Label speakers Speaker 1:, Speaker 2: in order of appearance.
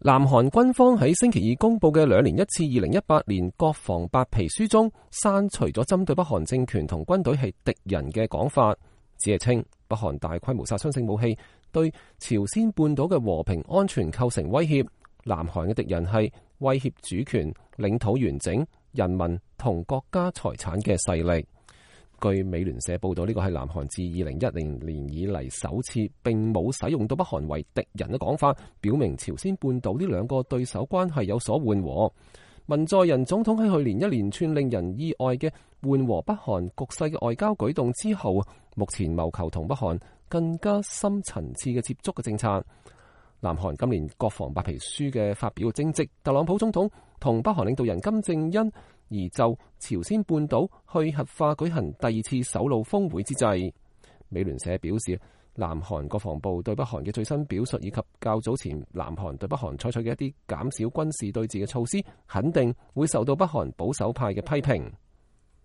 Speaker 1: 南韓軍方喺星期二公布嘅2年1次2018年國防白皮書中，刪除咗針對北韓政權同軍隊係敵人嘅講法，只係稱北韓大規模殺傷性武器對朝鮮半島嘅和平安全構成威脅。南韓嘅敵人係威脅主權、領土完整、人民同國家財產嘅勢力。據美聯社報道，呢個係南韓自2010年以嚟首次並冇使用到北韓為敵人嘅講法，表明朝鮮半島呢兩個對手關係有所緩和。文在寅總統喺去年一連串令人意外嘅緩和北韓局勢嘅外交舉動之後，目前謀求同北韓更加深層次嘅接觸嘅政策。南韓今年國防白皮書嘅發表正值特朗普總統同北韓領導人金正恩而就朝鮮半島去核化舉行第二次首腦峰會之際。美聯社表示，南韓國防部對北韓嘅最新表述以及較早前南韓對北韓採取嘅一啲減少軍事對峙嘅措施，肯定會受到北韓保守派嘅批評。